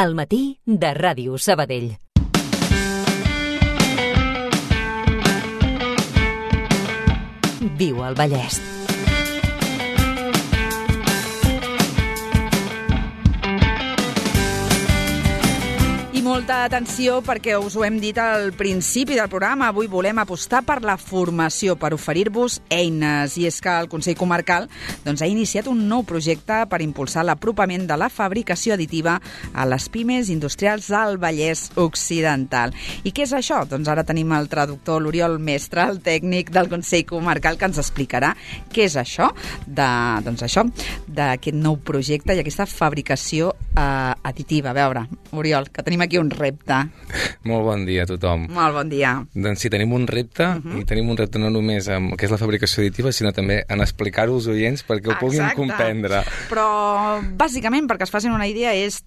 Al matí de Ràdio Sabadell. Viu al Vallès. Molta atenció perquè us ho hem dit al principi del programa. Avui volem apostar per la formació, per oferir-vos eines. I és que el Consell Comarcal ha iniciat un nou projecte per impulsar l'apropament de la fabricació additiva a les pimes industrials del Vallès Occidental. I què és això? Doncs ara tenim el traductor, l'Oriol Mestre, el tècnic del Consell Comarcal, que ens explicarà què és això d'aquest nou projecte i aquesta fabricació additiva. A veure, Oriol, que tenim aquí un repte. Molt bon dia a tothom. Molt bon dia. Doncs sí, tenim un repte, i tenim un repte no només amb el que és la fabricació additiva, sinó també en explicar-ho als oients perquè ho puguin comprendre. Però, bàsicament, perquè es facin una idea, és,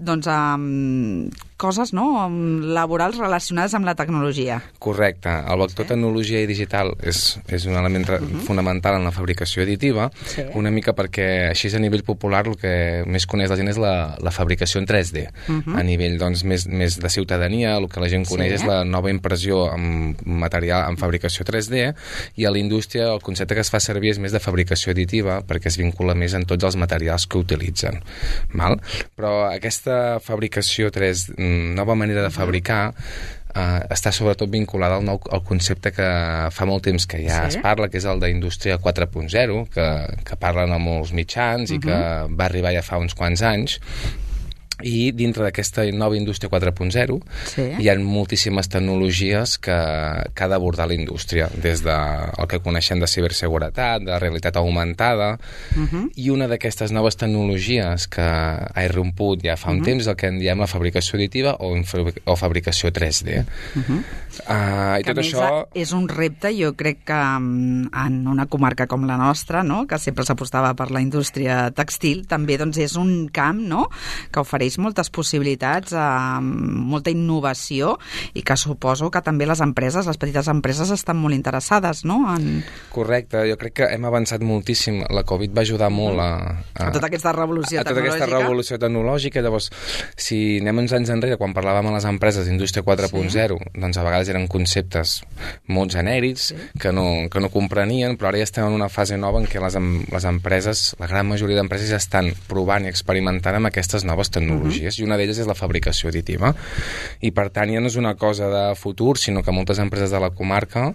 coses, laborals relacionades amb la tecnologia. Correcte. El vector tecnologia i digital és un element fonamental en la fabricació additiva, una mica perquè així a nivell popular el que més coneix la gent és la fabricació en 3D. A nivell, més de ciutadania, el que la gent coneix és la nova impressió amb material, amb fabricació 3D, i a la indústria el concepte que es fa servir és més de fabricació additiva, perquè es vincula més en tots els materials que utilitzen. Però aquesta fabricació 3, nova manera de fabricar, està sobretot vinculada al concepte que fa molt temps que ja es parla, que és el d'indústria 4.0, que parlen a molts mitjans i que va arribar ja fa uns quants anys. I dintre d'aquesta nova indústria 4.0 hi ha moltíssimes tecnologies que ha d'abordar la indústria, des del que coneixem de ciberseguretat, de realitat augmentada, i una d'aquestes noves tecnologies que ha irromput ja fa un temps és el que en diem la fabricació additiva o fabricació 3D. I tot això és un repte, jo crec que en una comarca com la nostra, que sempre s'apostava per la indústria textil, també és un camp que ofereix moltes possibilitats, molta innovació, i que suposo que també les empreses, les petites empreses, estan molt interessades, Correcte, jo crec que hem avançat moltíssim. La Covid va ajudar molt a tota aquesta revolució tecnològica. A tota aquesta revolució tecnològica. Llavors, si anem uns anys enrere, quan parlàvem a les empreses d'indústria 4.0, doncs a vegades eren conceptes molt genèrics, que no comprenien, però ara ja estem en una fase nova en què les empreses, la gran majoria d'empreses ja estan provant i experimentant amb aquestes noves tecnologies, i una d'elles és la fabricació additiva. I per tant ja no és una cosa de futur, sinó que moltes empreses de la comarca,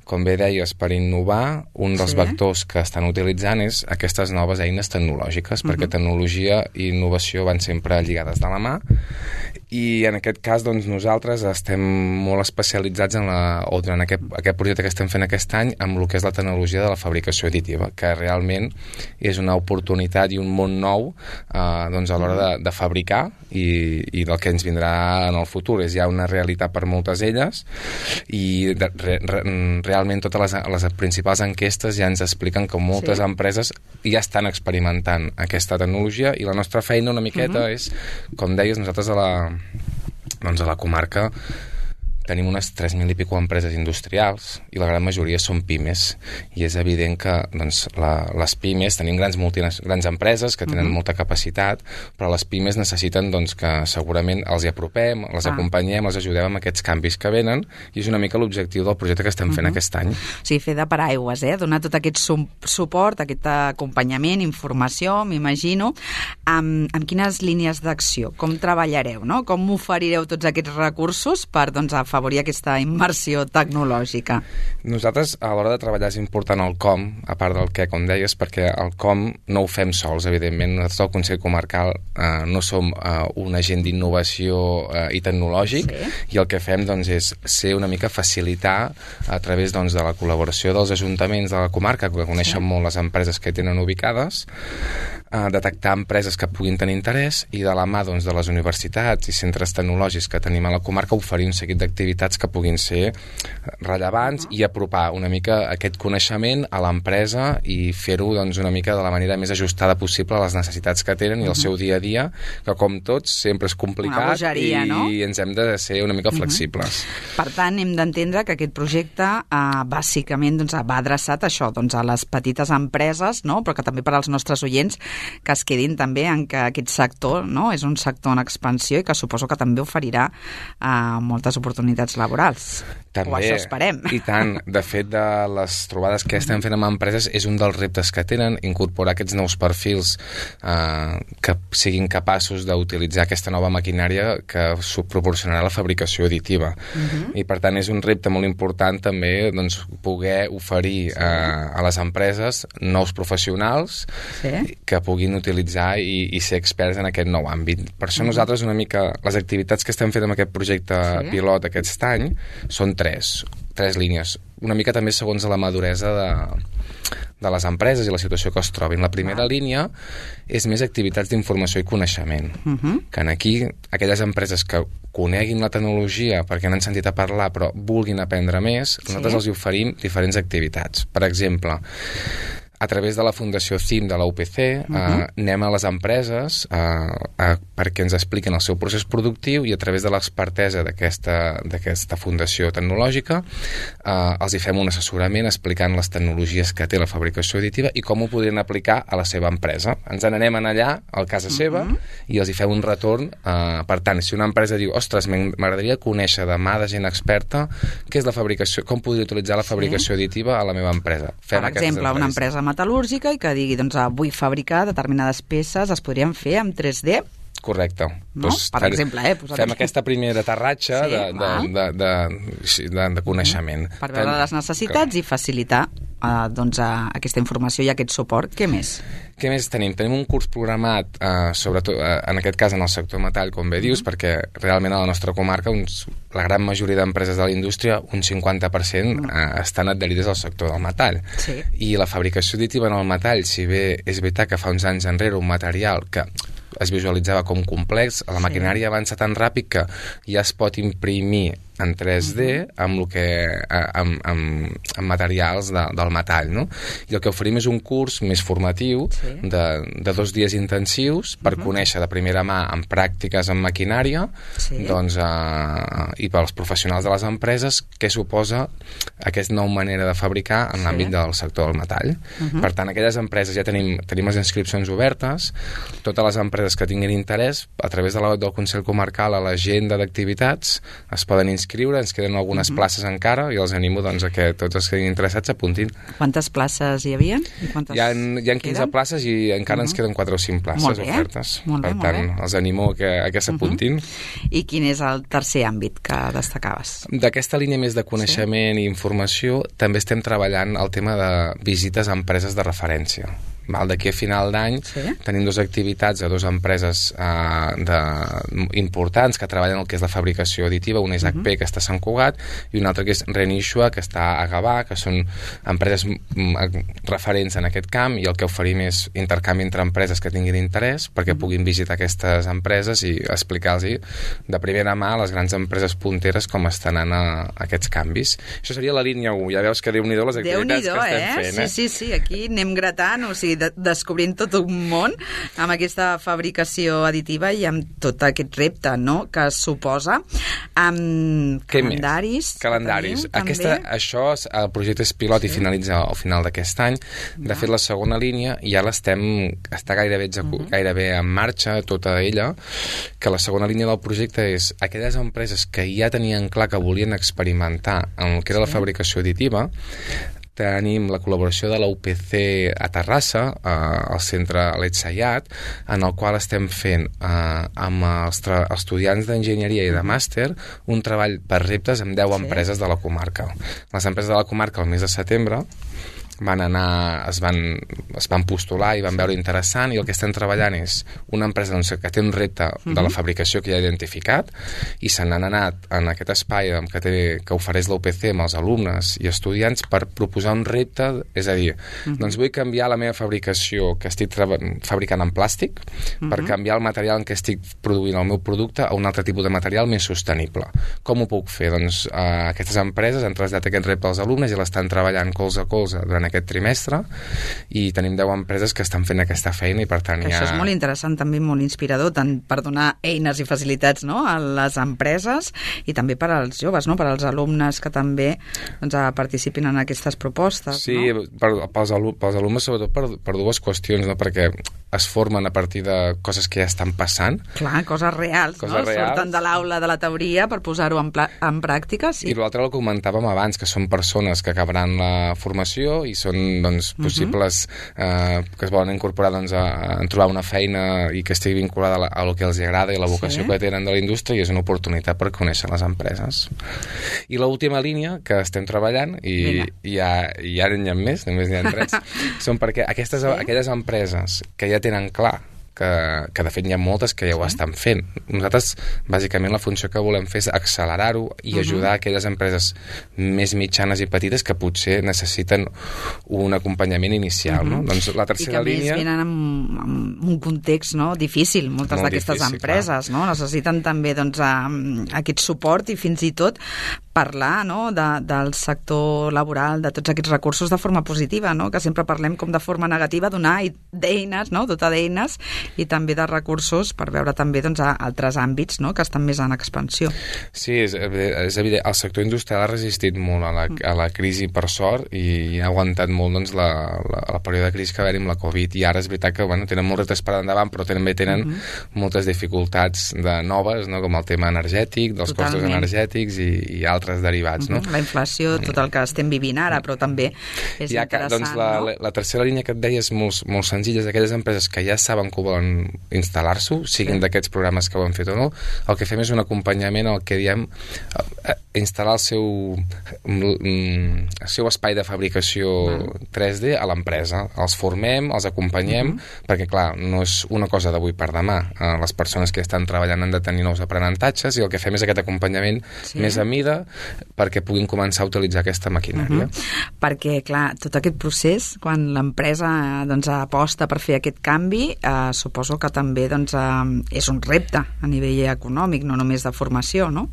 com bé deies, per innovar, un dels vectors que estan utilitzant és aquestes noves eines tecnològiques, perquè tecnologia i innovació van sempre lligades de la mà, i en aquest cas nosaltres estem molt especialitzats durant aquest projecte que estem fent aquest any amb el que és la tecnologia de la fabricació additiva, que realment és una oportunitat i un món nou a l'hora de fabricar, i del que ens vindrà en el futur. És ja una realitat per moltes d'elles, i realment totes les principals enquestes ja ens expliquen que moltes empreses ja estan experimentant aquesta tecnologia, i la nostra feina una miqueta és, com deies, nosaltres a la comarca tenim unes 3.000 i pico empreses industrials, i la gran majoria són pimes, i és evident que les pimes, tenim grans empreses que tenen molta capacitat, però les pimes necessiten que segurament els hi apropem, les acompanyem, els ajudem amb aquests canvis que venen, i és una mica l'objectiu del projecte que estem fent aquest any. Sí, fer de paraigües, donar tot aquest suport, aquest acompanyament, informació, m'imagino. Amb quines línies d'acció? Com treballareu, com oferireu tots aquests recursos per afavorir aquesta immersió tecnològica? Nosaltres, a l'hora de treballar, és important el com, a part del què, com deies, perquè el com no ho fem sols, evidentment. Nosaltres, el Consell Comarcal, no som un agent d'innovació i tecnològic, i el que fem és ser una mica facilitar a través de la col·laboració dels ajuntaments de la comarca, que coneixen molt les empreses que tenen ubicades, detectar empreses que puguin tenir interès, i de la mà de les universitats i centres tecnològics que tenim a la comarca oferir un seguit d'activitats que puguin ser rellevants i apropar una mica aquest coneixement a l'empresa i fer-ho una mica de la manera més ajustada possible a les necessitats que tenen i el seu dia a dia, que com tots sempre és complicat i ens hem de ser una mica flexibles. Per tant, hem d'entendre que aquest projecte bàsicament va adreçat a això, a les petites empreses, però que també per als nostres oients que es quedin també en que aquest sector, no?, és un sector en expansió i que suposo que també oferirà moltes oportunitats laborals. També, o això esperem. I tant. De fet, de les trobades que estem fent amb empreses és un dels reptes que tenen, incorporar aquests nous perfils que siguin capaços d'utilitzar aquesta nova maquinària que proporcionarà la fabricació additiva. I per tant és un repte molt important també doncs, poder oferir a les empreses nous professionals que puguin utilitzar i ser experts en aquest nou àmbit. Per això nosaltres una mica les activitats que estem fent amb aquest projecte pilot aquest any són tres línies, una mica també segons la maduresa de les empreses i la situació que es trobin. La primera línia és més activitats d'informació i coneixement, que aquí aquelles empreses que coneguin la tecnologia perquè n'han sentit a parlar però vulguin aprendre més, nosaltres els oferim diferents activitats. Per exemple, a través de la Fundació CIM de la UPC anem a les empreses perquè ens expliquen el seu procés productiu i a través de l'expertesa d'aquesta fundació tecnològica els hi fem un assessorament explicant les tecnologies que té la fabricació additiva i com ho podrien aplicar a la seva empresa. Ens n'anem allà, a casa seva, i els hi fem un retorn. Per tant, si una empresa diu, ostres, m'agradaria conèixer de mà de gent experta què és la fabricació, com podria utilitzar la fabricació additiva a la meva empresa. Per exemple, una empresa metal·lúrgica i que digui, doncs, vull fabricar determinades peces, es podrien fer amb 3D? Correcte. No? Doncs, per exemple, fem aquesta primera aterratge de coneixement. Per veure les necessitats i facilitar doncs, aquesta informació i aquest suport. Què més? Què més tenim? Tenim un curs programat, sobretot en aquest cas en el sector metall, com bé dius, perquè realment a la nostra comarca la gran majoria d'empreses de la indústria, un 50% estan adherides al sector del metall. I la fabricació additiva en el metall, si bé és veritat que fa uns anys enrere un material que es visualitzava com complex, la maquinària avança tan ràpid que ja es pot imprimir en 3D amb materials del metall, no? I el que oferim és un curs més formatiu de 2 dies intensius per conèixer de primera mà amb pràctiques en maquinària doncs, i pels professionals de les empreses què suposa aquesta nova manera de fabricar en l'àmbit del sector del metall. Per tant, aquelles empreses ja tenim les inscripcions obertes, totes les empreses que tinguin interès a través de la web del Consell Comarcal a l'agenda d'activitats es poden inscriure, ens queden algunes places encara i els animo doncs, a que tots els que estiguin interessats s'apuntin. Quantes places hi havia? Hi ha 15 places i encara ens queden 4 o 5 places ofertes. Per tant, els animo a que s'apuntin. I quin és el tercer àmbit que destacaves? D'aquesta línia més de coneixement i informació també estem treballant el tema de visites a empreses de referència. D'aquí a final d'any tenim 2 activitats a 2 empreses importants que treballen el que és la fabricació additiva. Una és HP, que està a Sant Cugat, i una altra que és Renixua, que està a Gavà, que són empreses referents en aquest camp, i el que oferim és intercanvi entre empreses que tinguin interès perquè puguin visitar aquestes empreses i explicar-los de primera mà a les grans empreses punteres com estan anant aquests canvis. Això seria la línia 1. Ja veus que Déu-n'hi-do les activitats que estem fent. Sí, aquí anem gratant, o sigui, descobrint tot un món amb aquesta fabricació additiva i amb tot aquest repte, no?, que suposa. Calendaris. Això, el projecte és pilot i finalitza al final d'aquest any. De fet, la segona línia ja està gairebé en marxa, tota ella, que la segona línia del projecte és aquelles empreses que ja tenien clar que volien experimentar en el que era la fabricació additiva. Tenim la col·laboració de la UPC a Terrassa, al centre l'Etsayat, en el qual estem fent amb els estudiants d'enginyeria i de màster un treball per reptes amb 10 empreses de la comarca. Les empreses de la comarca al mes de setembre es van postular i van veure interessant, i el que estem treballant és una empresa que té un repte de la fabricació que ja ha identificat i se n'han anat en aquest espai que ofereix la UPC amb els alumnes i estudiants per proposar un repte, és a dir, doncs vull canviar la meva fabricació que estic fabricant en plàstic per canviar el material en què estic produint el meu producte a un altre tipus de material més sostenible. Com ho puc fer? Doncs aquestes empreses han traslladat aquest repte als alumnes i l'estan treballant colze a colze durant en aquest trimestre, i tenim 10 empreses que estan fent aquesta feina, i per tant Això és molt interessant, també molt inspirador, tant per donar eines i facilitats, no?, a les empreses i també per als joves, no?, per als alumnes que també doncs, participin en aquestes propostes. Sí, no? pels alumnes sobretot per dues qüestions, no?, perquè es formen a partir de coses que ja estan passant. Clar, coses reals, no? Surten de l'aula de la teoria per posar-ho en pràctica, sí. I l'altre el comentàvem abans, que són persones que acabaran la formació i són doncs, possibles que es volen incorporar doncs, a trobar una feina i que estigui vinculada a lo que els agrada i la vocació que tenen de la indústria, i és una oportunitat per conèixer les empreses. I l'última línia que estem treballant, i ja n'hi ha més, només n'hi ha 3, són perquè aquelles empreses que ja tenen clar que de fet hi ha moltes que ja ho estan fent. Nosaltres, bàsicament, la funció que volem fer és accelerar-ho i ajudar aquelles empreses més mitjanes i petites que potser necessiten un acompanyament inicial. No? Doncs la tercera línia... I que més venen en un context, no?, difícil, moltes d'aquestes empreses, no? Necessiten també doncs, aquest suport i fins i tot parlar, no?, del sector laboral, de tots aquests recursos de forma positiva, no?, que sempre parlem com de forma negativa, donar d'eines, no?, dotar d'eines i també de recursos per veure també doncs, altres àmbits, no?, que estan més en expansió. Sí, és evident. El sector industrial ha resistit molt a la crisi, per sort, i ha aguantat molt doncs, el període de crisi que va haver-hi amb la Covid, i ara és veritat que tenen molts reptes per endavant, però també tenen moltes dificultats noves, no?, com el tema energètic, dels costos energètics i altres derivats. No? La inflació, tot el que estem vivint ara, però també és interessant. Doncs la tercera línia que et deia és molt senzilla, és aquelles empreses que ja saben que volen instal·lar-s'ho, siguin d'aquests programes que ho han fet o no. El que fem és un acompanyament al que diem instal·lar el seu espai de fabricació 3D a l'empresa. Els formem, els acompanyem, perquè clar, no és una cosa d'avui per demà. Les persones que estan treballant han de tenir nous aprenentatges, i el que fem és aquest acompanyament més a mida perquè puguin començar a utilitzar aquesta maquinària. Perquè, clar, tot aquest procés, quan l'empresa doncs, aposta per fer aquest canvi, suposo que també doncs, és un repte a nivell econòmic, no només de formació, no?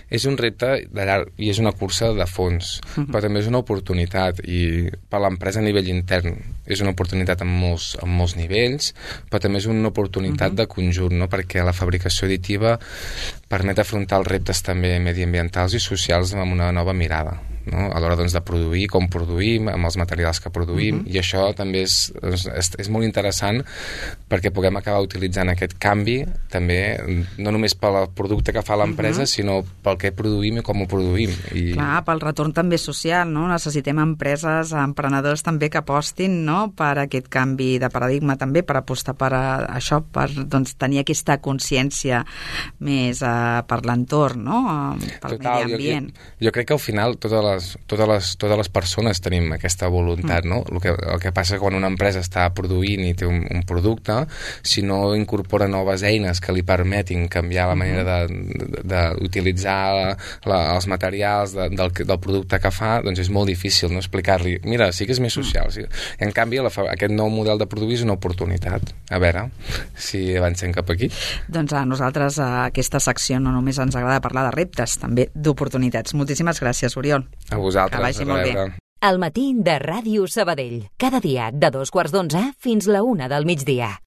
És un repte de llarg, i és una cursa de fons, però també és una oportunitat, i per l'empresa a nivell intern és una oportunitat en molts nivells, però també és una oportunitat de conjunt, no? Perquè la fabricació additiva permet afrontar els reptes també mediambientals i socials amb una nova mirada, no? A l'hora doncs, de produir, com produïm, amb els materials que produïm, i això també és molt interessant perquè puguem acabar utilitzant aquest canvi també, no només pel producte que fa l'empresa, sinó pel que produïm i com ho produïm. Clar, pel retorn també social, no? Necessitem empreses, emprenedors també que apostin, no?, per aquest canvi de paradigma també, per apostar per això, per doncs, tenir aquesta consciència més per l'entorn, no?, pel medi ambient. Jo crec que al final totes les persones tenim aquesta voluntat, no? El que passa quan una empresa està produint i té un producte, si no incorpora noves eines que li permetin canviar la manera d'utilitzar els materials del producte que fa, doncs és molt difícil, no?, explicar-li, mira, sí que és més social. Sí. En canvi, aquest nou model de produir és una oportunitat. A veure si avancem cap aquí. Doncs a nosaltres aquesta secció no només ens agrada parlar de reptes, també d'oportunitats. Moltíssimes gràcies, Oriol. A vosaltres. Que vagi molt bé. El matí de Ràdio Sabadell. Cada dia de 2:15 fins la 1 del migdia.